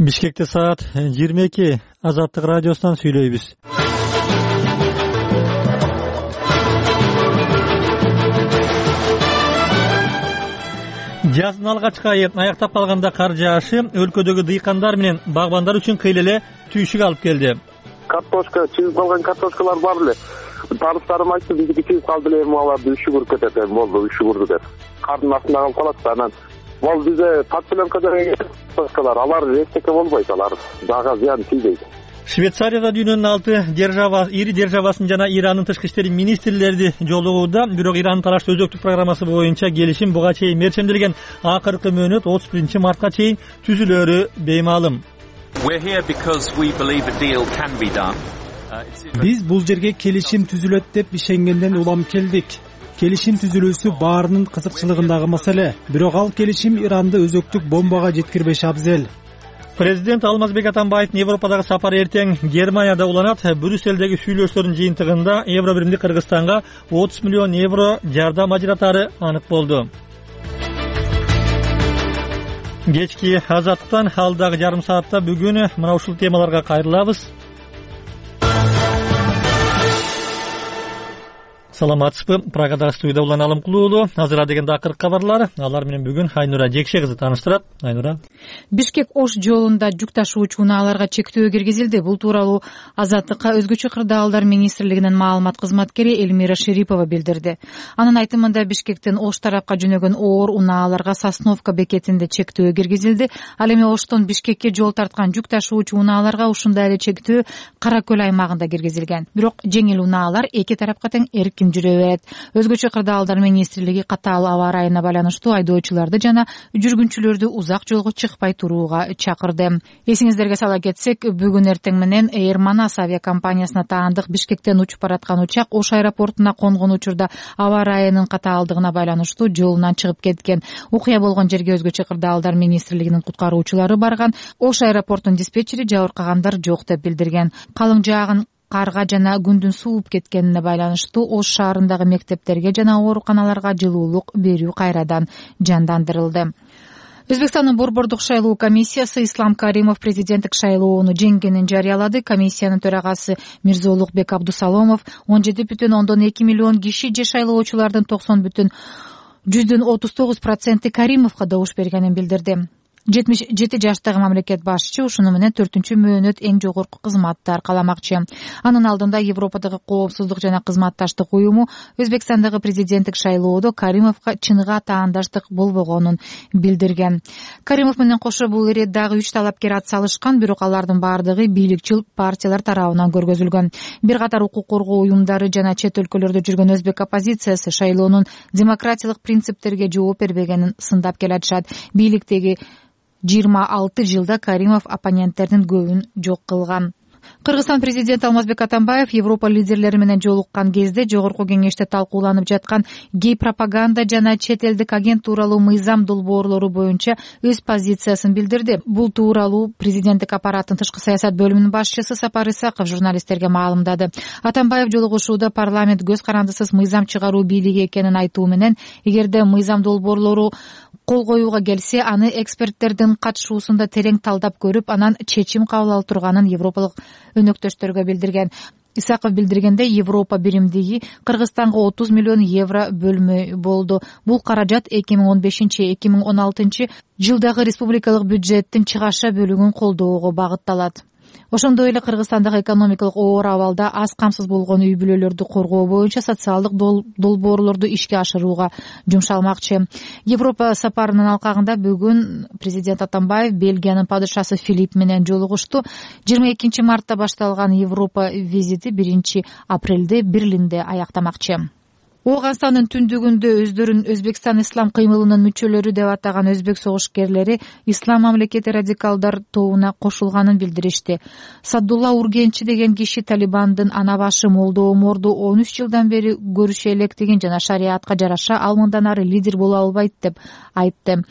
Бишкекте саат 22. Азаттык радиосунан сүйлөйбүз. Жаздын алгачкы айы аяктап калганда кар жаашы өлкөдөгү дыйкандар менен багбандар үчүн кыйла эле түйшүк алып келди. Картошка, чыгып калган картошкалар бар эле. Тарыштарым айтты, биздики чыгып калды эле, аларды үшүгүрүп кетет эми, болду, үшүгүрдү деп. Кардын астында калып калат да, анан бул бизде подпиленкада картошкалар, алар эчтеке болбойт, алар дагы зыян тийбейт. Швейцарияда дүйнөнүн 6 ири державасын жана Ирандын тышкы иштери министрлери жолугууда, бирок Ирандын тараштуу өзөктүк программасы боюнча келишим буга чейин мерчемделген акыркы мөөнөт 31-мартка чейин түзүлөрү беймаалым. Биз бул жерге келишим түзүлөт деп ишенгенден улам келдик. Келишим түзүлүүсү баарынын кызыкчылыгындагы маселе, бирок ал келишим Иранды өзөктүк бомбага жеткирбеш абзел. Президент Алмазбек Атамбаевдин Европадагы сапары эртең Германияда уланат. Брюссельдеги сүйлөштөрдүн жыйынтыгында Евро биримди Кыргызстанга 30 миллион евро жардам ажыратары анык болду. Кечки Азаттыктан алдагы жарым саатта бүгүн мына ушул темаларга кайрылабыз. Саламатсызбы? Прагадагы студияда Улан Алымкулуу уулу. Азыр дегенде акыркы кабарлар. Алар менен бүгүн Айнура Жекше кызы тааныштырат. Айнура. Бишкек-Ош жолунда жүк ташуучу унааларга чектөө киргизилди. Бул тууралуу Азаттыкка өзгөчө кырдаалдар министрлигинин маалымат кызматкери Эльмира Шерипова билдирди. Анын айтымында Бишкектен Ош тарапка жөнөгөн оор унааларга Сосновка бекетинде чектөө киргизилди. Ал эми Оштон Бишкекке жол тарткан жүк ташуучу унааларга ушундай эле чектөө Кара көл аймагында киргизилген. Бирок жеңил унаалар эки тарапка тең эркин жүрө берет. Өзгөчө кырдаалдар министрлиги катаал аба ырайына байланыштуу айдоочуларды жана жүргүнчүлөрдү узак жолго чыкпай турууга чакырды. Эсиңиздерге сала кетсек, бүгүн эртең менен Air Manas авиакомпаниясына таандык Бишкектен учуп бараткан учак Ош аэропортуна конгон учурда аба ырайынын катаалдыгына байланыштуу жолунан чыгып кеткен. Окуя болгон жерге өзгөчө кырдаалдар министрлигинин куткаруучулары барган. Ош аэропортунун диспетчери жабыркагандар жок деп билдирген. Калың жаагын карга жана күндүн сууп кеткенине байланыштуу Ош шаарындагы мектептерге жана ооруканаларга жылуулук берүү кайрадан жандандырылды. Өзбекстандын Борбордук шайлоо комиссиясы Ислам Каримов президенттик шайлоону жеңгенин жарыялады. Комиссиянын төрагасы Мирзоулукбек Абдусаломов 17,2 миллион киши же шайлоочулардын 90,39% Каримовго добуш бергенин билдирди. 77 жаштагы мамлекет башчы ушуну менен 4-чү мөөнөт эң жогорку кызматты аркаламакчы. Анын алдында Европадагы коопсуздук жана кызматташтык уюму Өзбекстандагы президенттик шайлоодо Каримовго чыныга таандаштык болбогонун билдирген. Каримов менен кошо бул эре дагы 3 талапкер атсалышкан, бирок алардын баардыгы бийликчил партиялар тарабынан көргөзүлгөн. Бир катар укук коргоо уюмдары жана чет өлкөлөрдө жүргөн өзбек оппозициясы шайлоонун демократиялык принциптерге жооп бербегенин сындап келатышат. Бийликтеги 26 жылда Каримов оппоненттердин көбүн жок кылган. Кыргызстан президенти Алмазбек Атамбаев Европа лидерлери менен жолуккан кезде жогорку кеңеште талкууланып жаткан гей пропаганда жана чет элдик агент тууралуу мыйзам долбоорлору боюнча өз позициясын билдирди. Бул тууралуу президенттик аппараттын тышкы саясат бөлүмүнүн башчысы Сапар Исаков журналисттерге маалымдады. Атамбаев жолугушууда парламент көз карандысыз мыйзам чыгаруу бийлиги экенин айтуу менен, эгерде мыйзам долбоорлору кол коюуга келсе, аны эксперттердин катышуусунда терең талдап көрүп, анан чечим кабыл алып турганын европалык өнөктөштөргө билдирген. Исаков билдиргенде, Европа биримдиги Кыргызстанга 30 миллион евро бөлмөй болду. Бул каражат 2015-2016 жылдагы республикалык бюджеттин чыгаша бөлүгүн колдоого багытталат. Ошондой эле Кыргызстандагы экономикалык оор абалда аз камсыз болгон үй бүлөлөрдү коргоо боюнча социалдык долбоорлорду ишке ашырууга жумшалмакчы. Европа сапарынын алкагында бүгүн президент Атамбаев Бельгиянын падышасы Филипп менен жолугушту. 22 мартта башталган Европа визити 1 апрелде Берлинде аяктамакчы. Ооганстандын түндүгүндө өздөрүн Өзбекстан ислам кыймылынын мүчөлөрү деп атаган өзбек согушкерлери ислам мамлекети радикалдар тобуна кошулганын билдиришти. Саддулла Ургенчи деген киши Талибандын ана башы Молдо Оморду 13 жылдан бери көрүшө электигин жана шариатка жараша ал мындан ары лидер боло албайт деп айтты.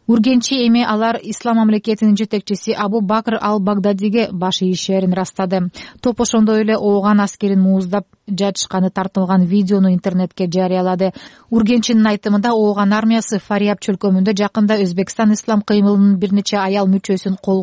Ургенчи эми алар ислам мамлекетинин жетекчиси Абу Бакр ал-Багдадиге баш ийишерин растады. Топ ошондой эле ооган аскерин мууздап жатышканы тартылган видеону интернетке жарыялады. Ургенчинин айтымында ооган армиясы Фарияб чөлкөмүндө жакында Өзбекстан ислам кыймылынын бир нече аял мүчөсүн колго